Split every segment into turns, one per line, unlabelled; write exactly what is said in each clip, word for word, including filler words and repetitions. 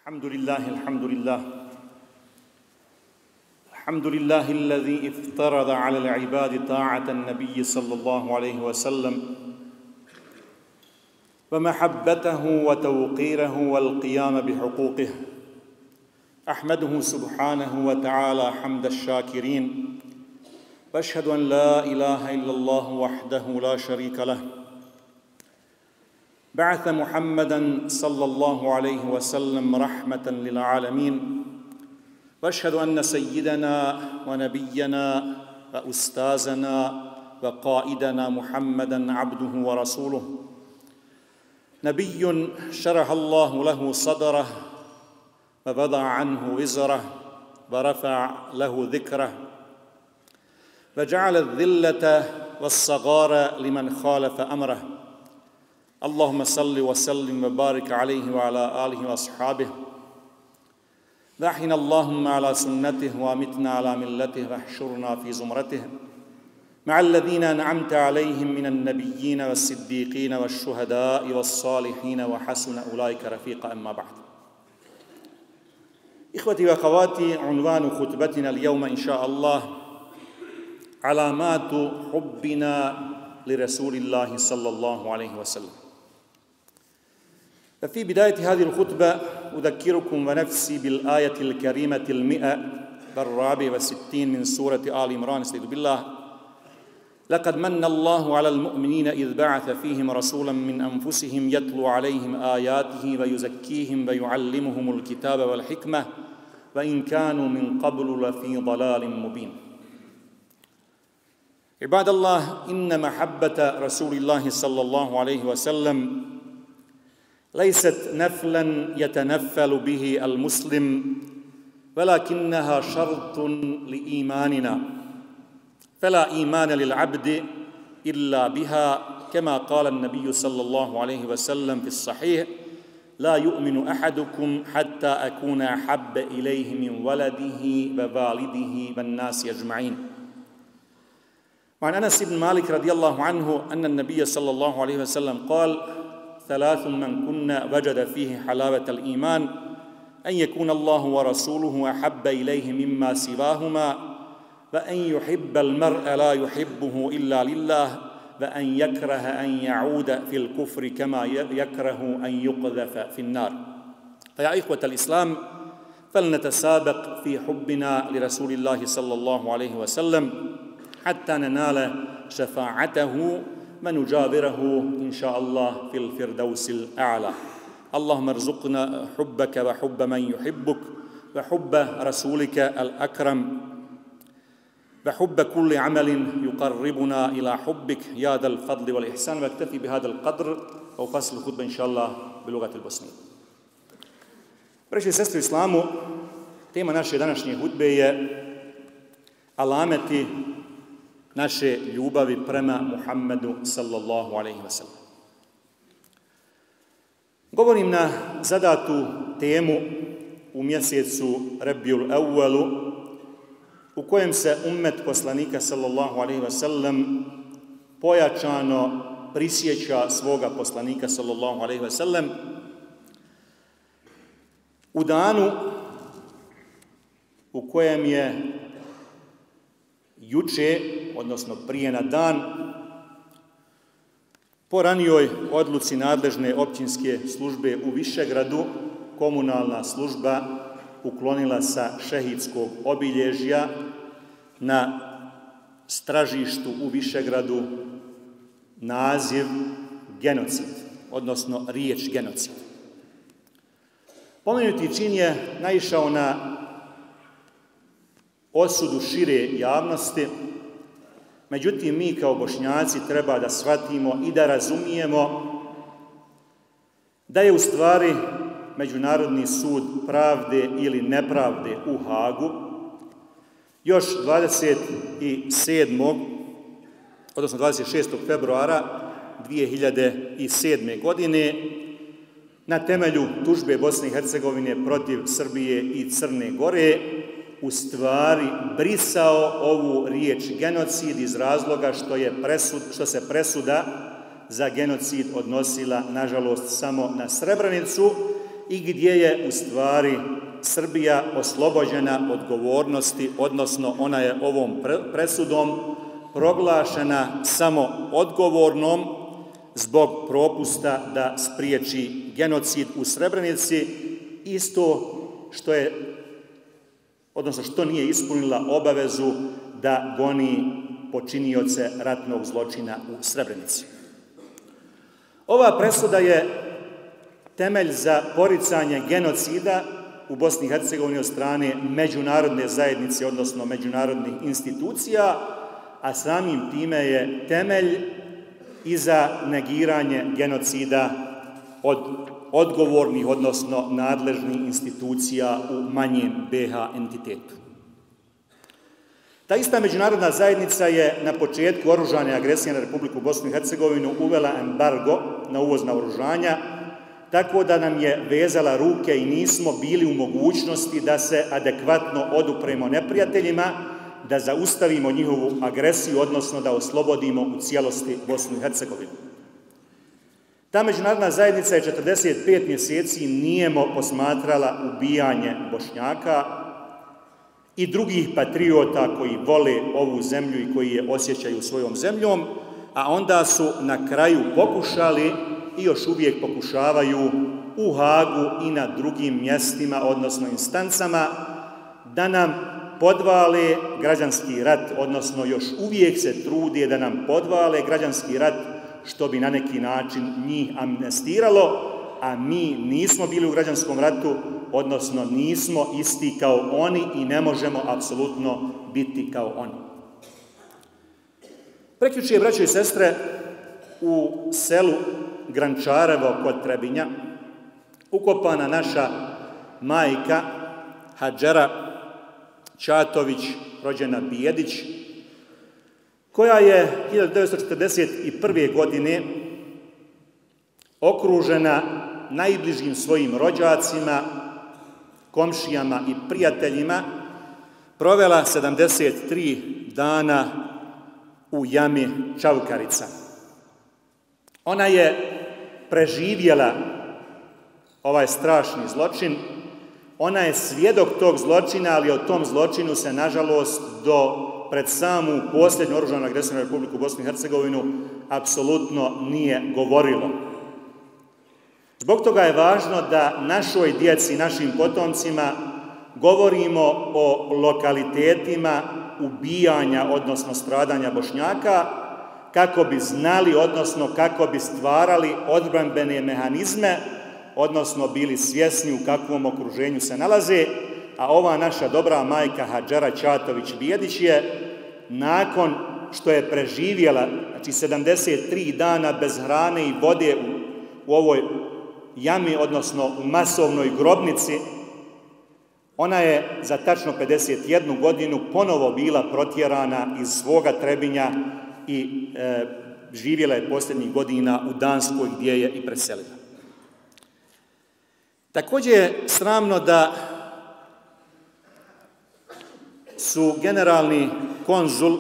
الحمد لله الحمد لله الحمد لله الذي افترض على العباد طاعة النبي صلى الله عليه وسلم ومحبته وتوقيره والقيام بحقوقه. أحمده سبحانه وتعالى حمد الشاكرين، وأشهد أن لا إله إلا الله وحده لا شريك له. بعث محمدًا صلى الله عليه وسلم رحمة للعالمين، وأشهد أن سيدنا ونبينا وأستاذنا وقائدنا محمدًا عبده ورسوله، نبي شرح الله له صدره ووضع عنه وزره ورفع له ذكره وجعل الذلة والصغار لمن خالف أمره. اللهم صل وسلم وبارك عليه وعلى آله وأصحابه، وأحينا اللهم على سنته وأمتنا على ملته واحشرنا في زمرته مع الذين أنعمت عليهم من النبيين والصديقين والشهداء والصالحين وحسن أولئك رفيقا. أما بعد، إخوتي وأخواتي، عنوان خطبتنا اليوم إن شاء الله علامات حبنا لرسول الله صلى الله عليه وسلم. ففي بداية هذه الخطبة أذكركم ونفسي بالآية الكريمة المئة والرابع والستين من سورة آل عمران. استعيذ بالله: لقد من الله على المؤمنين إذ بعث فيهم رسولا من أنفسهم يتلو عليهم آياته ويزكيهم ويعلمهم الكتاب والحكمة وإن كانوا من قبل لفي ضلال مبين. عباد الله، إن محبة رسول الله صلى الله عليه وسلم ليست نفلا يتنفل به المسلم، ولكنها شرط لإيماننا، فلا إيمان للعبد إلا بها، كما قال النبي صلى الله عليه وسلم في الصحيح: لا يؤمن أحدكم حتى أكون أحب إليه من ولده ووالده والناس أجمعين. وعن أنس بن مالك رضي الله عنه أن النبي صلى الله عليه وسلم قال: ثلاث من كنا وجد فيه حلاوة الإيمان: أن يكون الله ورسوله أحب إليه مما سواهما، وأن يحب المرء لا يحبه إلا لله، وأن يكره أن يعود في الكفر كما يكره أن يقذف في النار. فيا إخوة الإسلام، فلنتسابق في حبنا لرسول الله صلى الله عليه وسلم حتى ننال شفاعته ونجابره إن شاء الله في الفردوس الأعلى. اللهم ارزقنا حبك وحب من يحبك وحب رسولك الأكرم وحب كل عمل يقربنا إلى حبك يا ذا الفضل والإحسان. واكتفي بهذا القدر وفصل الخطبة إن شاء الله بلغة البosnije. Braćo i sestre u islamu, tema naše današnje hudbe je alameti naše ljubavi prema Muhammedu sallallahu alejhi ve sellem. Govorim na zadatu temu u mjesecu Rabiul Awwalu, u kojem se ummet poslanika sallallahu alejhi ve sellem pojačano prisjeća svoga poslanika sallallahu alejhi ve sellem u danu u kojem je juče, odnosno prije na dan, po ranijoj odluci nadležne općinske službe u Višegradu, komunalna služba uklonila sa šehidskog obilježja na stražištu u Višegradu naziv genocid, odnosno riječ genocid. Pomenuti čin je naišao na osudu šire javnosti, međutim mi kao Bošnjaci treba da shvatimo i da razumijemo da je u stvari Međunarodni sud pravde ili nepravde u Hagu još dvadeset sedmog odnosno dvadeset šestog februara dvije hiljade sedme. godine na temelju tužbe Bosne i Hercegovine protiv Srbije i Crne Gore u stvari brisao ovu riječ genocid iz razloga što, je presud, što se presuda za genocid odnosila, nažalost, samo na Srebrenicu i gdje je u stvari Srbija oslobođena odgovornosti, odnosno ona je ovom presudom proglašena samo odgovornom zbog propusta da spriječi genocid u Srebrenici, isto što je, odnosno što nije ispunila obavezu da goni počinioce ratnog zločina u Srebrenici. Ova presuda je temelj za poricanje genocida u Bosni i Hercegovini od strane međunarodne zajednice, odnosno međunarodnih institucija, a samim time je temelj i za negiranje genocida od odgovornih, odnosno nadležnih institucija u manjem be ha entitetu. Ta ista međunarodna zajednica je na početku oružane agresije na Republiku Bosnu i Hercegovinu uvela embargo na uvoz naoružanja, tako da nam je vezala ruke i nismo bili u mogućnosti da se adekvatno odupremo neprijateljima, da zaustavimo njihovu agresiju, odnosno da oslobodimo u cijelosti Bosnu i Hercegovinu. Ta međunarodna zajednica je četrdeset pet mjeseci nijemo posmatrala ubijanje Bošnjaka i drugih patriota koji vole ovu zemlju i koji je osjećaju svojom zemljom, a onda su na kraju pokušali i još uvijek pokušavaju u Hagu i na drugim mjestima, odnosno instancama, da nam podvale građanski rat, odnosno još uvijek se trudi da nam podvale građanski rat, što bi na neki način njih amnestiralo, a mi nismo bili u građanskom ratu, odnosno nismo isti kao oni i ne možemo apsolutno biti kao oni. Prekjuče, braćo i sestre, u selu Grančarevo kod Trebinja ukopana naša majka Hadžera Čatović, rođena Bijedić, koja je hiljadu devetsto četrdeset prve. godine okružena najbližim svojim rođacima, komšijama i prijateljima, provela sedamdeset tri dana u jami Čavkarica. Ona je preživjela ovaj strašni zločin, ona je svjedok tog zločina, ali o tom zločinu se, nažalost, do pred samu posljednju oružanu agresiju na Republiku Bosnu i Hercegovinu apsolutno nije govorilo. Zbog toga je važno da našoj djeci, našim potomcima govorimo o lokalitetima ubijanja, odnosno stradanja Bošnjaka, kako bi znali, odnosno kako bi stvarali odbrambene mehanizme, odnosno bili svjesni u kakvom okruženju se nalaze, a ova naša dobra majka Hadžera Čatović Bijedić je, nakon što je preživjela, znači sedamdeset tri dana bez hrane i vode u, u ovoj jami, odnosno u masovnoj grobnici, ona je za tačno pedeset jednu godinu ponovo bila protjerana iz svoga Trebinja i e, živjela je posljednjih godina u Danskoj, gdje je i preselila. Također je sramno da su generalni konzul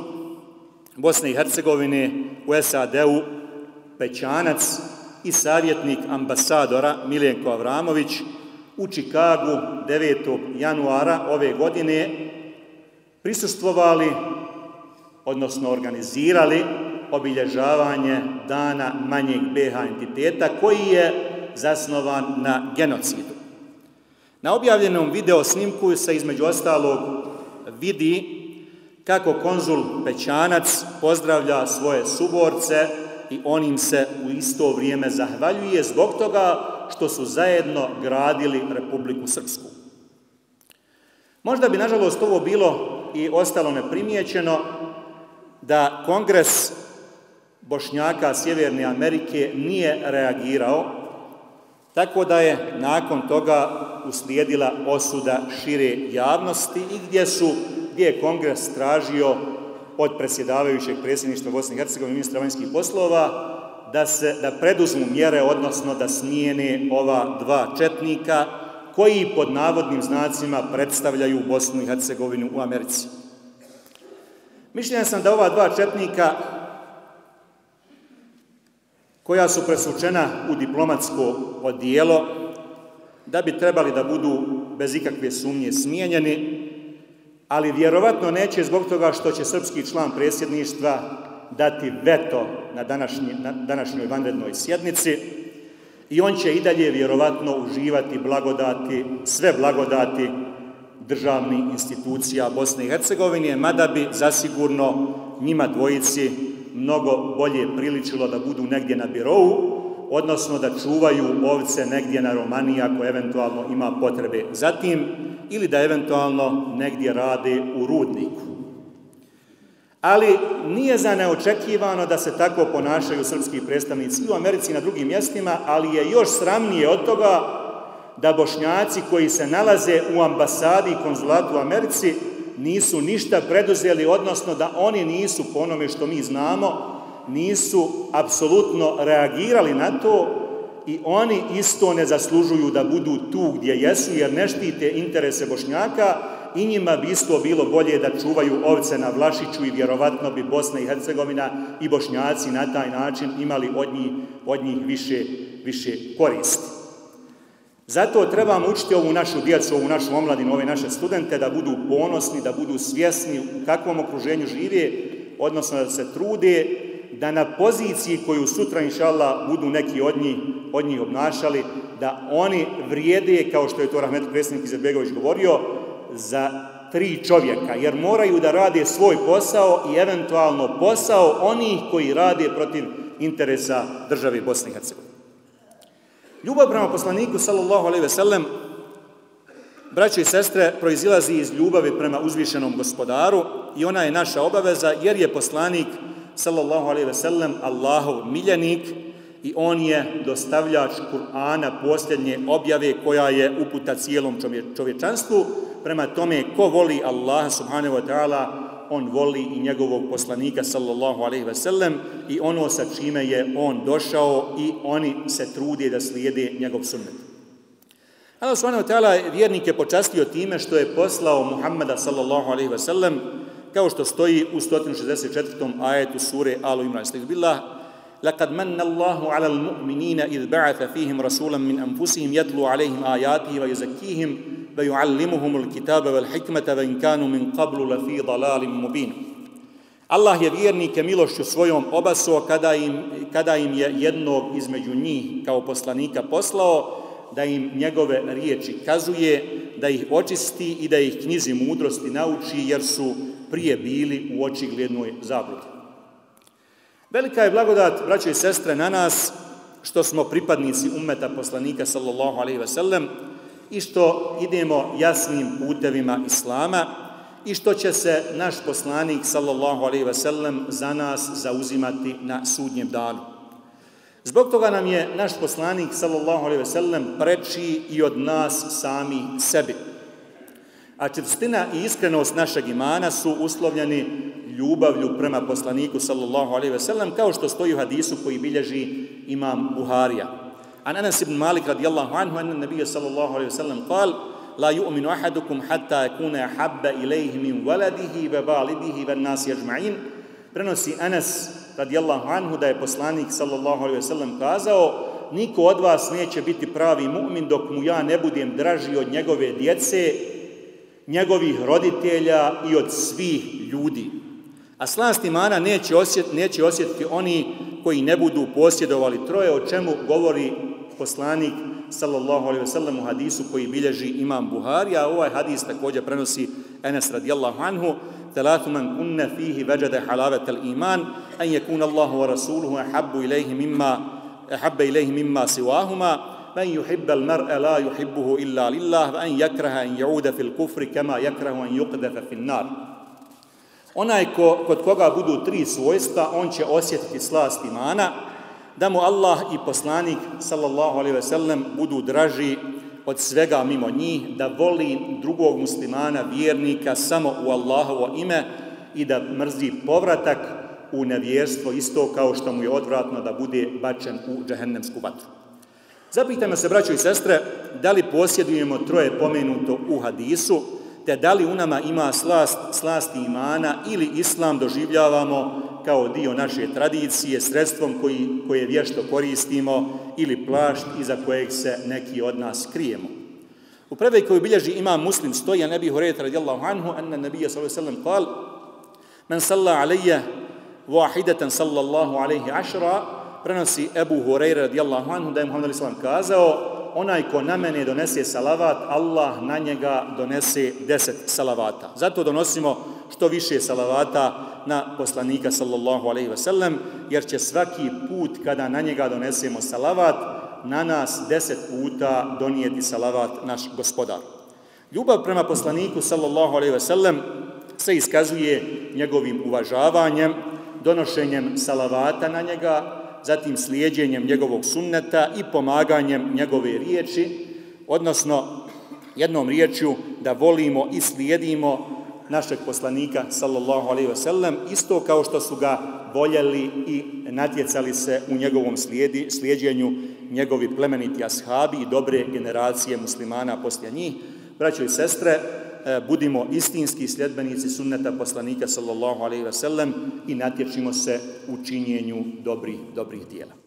Bosne i Hercegovine u es a de u Pećanac i savjetnik ambasadora Miljenko Avramović u Čikagu devetog januara ove godine prisustvovali, odnosno organizirali obilježavanje Dana manjeg be ha entiteta, koji je zasnovan na genocidu. Na objavljenom video snimku se između ostalog vidi kako konzul Pećanac pozdravlja svoje suborce i on im se u isto vrijeme zahvaljuje zbog toga što su zajedno gradili Republiku Srpsku. Možda bi, nažalost, ovo bilo i ostalo neprimjećeno da Kongres Bošnjaka Sjeverne Amerike nije reagirao, tako da je nakon toga uslijedila osuda šire javnosti i gdje su, gdje je Kongres tražio od predsjedavajućeg predsjedništva Bosne i Hercegovine, ministra vanjskih poslova, da se da preduzmu mjere, odnosno da smijene ova dva četnika koji pod navodnim znacima predstavljaju Bosnu i Hercegovinu u Americi. Mišljenja sam da ova dva četnika, koja su presvučena u diplomatsko odijelo, da bi trebali da budu bez ikakve sumnje smijenjeni, ali vjerovatno neće zbog toga što će srpski član predsjedništva dati veto na, današnji, na današnjoj vanrednoj sjednici i on će i dalje vjerovatno uživati blagodati, sve blagodati državnih institucija Bosne i Hercegovine, mada bi zasigurno njima dvojici mnogo bolje priličilo da budu negdje na birou, odnosno da čuvaju ovce negdje na Romaniji ako eventualno ima potrebe za tim, ili da eventualno negdje rade u rudniku. Ali nije za neočekivano da se tako ponašaju srpski predstavnici i u Americi i na drugim mjestima, ali je još sramnije od toga da Bošnjaci koji se nalaze u ambasadi i konzulatu u Americi nisu ništa preduzeli, odnosno da oni nisu, po onome što mi znamo, nisu apsolutno reagirali na to i oni isto ne zaslužuju da budu tu gdje jesu, jer ne štite interese Bošnjaka i njima bi isto bilo bolje da čuvaju ovce na Vlašiću i vjerovatno bi Bosna i Hercegovina i Bošnjaci na taj način imali od njih, od njih više, više koristi. Zato trebamo učiti ovu našu djecu, ovu našu omladinu, ove naše studente da budu ponosni, da budu svjesni u kakvom okruženju žive, odnosno da se trude da na poziciji koju sutra, inša Allah, budu neki od njih, od njih obnašali, da oni vrijede, kao što je to rahmetli predsjednik Izetbegović govorio, za tri čovjeka, jer moraju da rade svoj posao i eventualno posao onih koji rade protiv interesa države Bosne i Hercegovine. Ljubav prema poslaniku, sallallahu alejhi ve sellem, braćo i sestre, proizilazi iz ljubavi prema uzvišenom gospodaru i ona je naša obaveza, jer je poslanik, sallallahu alejhi ve sellem, Allahov miljenik i on je dostavljač Kur'ana, posljednje objave koja je uputa cijelom čovječanstvu. Prema tome, ko voli Allaha subhanahu wa ta'ala, on voli i njegovog poslanika, sallallahu alejhi ve sellem, i ono sa čime je on došao i oni se trude da slijede njegov sunnet. Allah subhanahu wa ta'ala vjernike počastio time što je poslao Muhammeda, sallallahu alejhi ve sellem, kao što stoji u sto šezdeset četvrtom ajetu sure Alu Imran. Billah, لقد من الله على المؤمنين إذ بعث فيهم رسولا من أنفسهم يتلو عليهم آياته ويزكيهم ويعلمهم الكتاب والحكمة وإن كانوا من قبل لفي ضلال مبين. Allah je vjernike milošću svojom obasuo kada im, kada im je jednog između njih kao poslanika poslao, da im njegove riječi kazuje, da ih očisti i da ih knjizi mudrosti nauči, jer su prije bili u očiglednoj zabludi. Velika je blagodat, braćo i sestre, na nas što smo pripadnici ummeta poslanika, sallallahu alejhi ve sellem, i što idemo jasnim putevima Islama i što će se naš poslanik, sallallahu alejhi ve sellem, za nas zauzimati na sudnjem danu. Zbog toga nam je naš poslanik, sallallahu alejhi ve sellem, preči i od nas sami sebi. A čvrstina i iskrenost našeg imana su uslovljeni ljubavlju prema poslaniku, sallallahu alejhi ve sellem, kao što stoji u hadisu koji bilježi imam Buharija. An Anas ibn Malik radijallahu anhu, anna nabija sallallahu alejhi ve sellem kal, la yu'minu ahadukum hatta yakuna ahabba ilayhi min waladihi wa walidihi wan nasi ajma'in. Prenosi Anas radijallahu anhu da je poslanik, sallallahu alejhi ve sellem, kazao: niko od vas neće biti pravi mu'min dok mu ja ne budem draži od njegove djece, njegovih roditelja i od svih ljudi. A slast imana neće, osjet, neće osjetiti oni koji ne budu posjedovali troje, o čemu govori poslanik, sallallahu alejhi ve sellem, u hadisu koji bilježi imam Buhari, a ovaj hadis također prenosi Enes radijallahu anhu: Thalathu man kunna fihi vajada halavat al-iman an yakuna Allahu wa rasuluhu ahabbu ilayhi mimma ahabba ilayhi mimma siwahuma man yuhibba al-mar'a la yuhibbuhu illa lillah wa an yakraha an ya'uda fil kufri kama yakrahu an yuqdafa fin nar. Onaj ko, kod koga budu tri svojstva, on će osjetiti slast imana, da mu Allah i poslanik, sallallahu alejhi ve sellem, budu draži od svega mimo njih, da voli drugog muslimana, vjernika, samo u Allahovo ime i da mrzi povratak u nevjerstvo, isto kao što mu je odvratno da bude bačen u džehennemsku vatru. Zapitajmo se, braćo i sestre, da li posjedujemo troje pomenuto u hadisu, te da li u nama ima slast, slast imana, ili islam doživljavamo kao dio naše tradicije, sredstvom koji, koje vješto koristimo ili plašt iza kojeg se neki od nas krijemo. U predaji koju bilježi imam Muslim stoji an Ebi Hurajrata radijallahu anhu anna nabija sallallahu alejhi ve sellem kal: "Men salla alayya wahidatan sallallahu alayhi ashra", prenosi Ebu Hurajra radijallahu anhu da je Muhammed alejhi ve sellem kazao: "Onaj ko na mene donese salavat, Allah na njega donese deset salavata." Zato donosimo što više salavata na poslanika sallallahu alejhi ve sellem, jer će svaki put kada na njega donesemo salavat, na nas deset puta donijeti salavat naš gospodar. Ljubav prema poslaniku sallallahu alejhi ve sellem se iskazuje njegovim uvažavanjem, donošenjem salavata na njega, zatim slijedjenjem njegovog sunneta i pomaganjem njegove riječi, odnosno jednom riječju da volimo i slijedimo našeg poslanika sallallahu alejhi ve sellem, isto kao što su ga voljeli i natjecali se u njegovom slijedi, slijedjenju njegovi plemeniti ashabi i dobre generacije muslimana poslije njih. Braćo i sestre, budimo istinski sljedbenici sunneta poslanika sallallahu alejhi ve sellem i natječimo se u činjenju dobrih, dobrih dijela.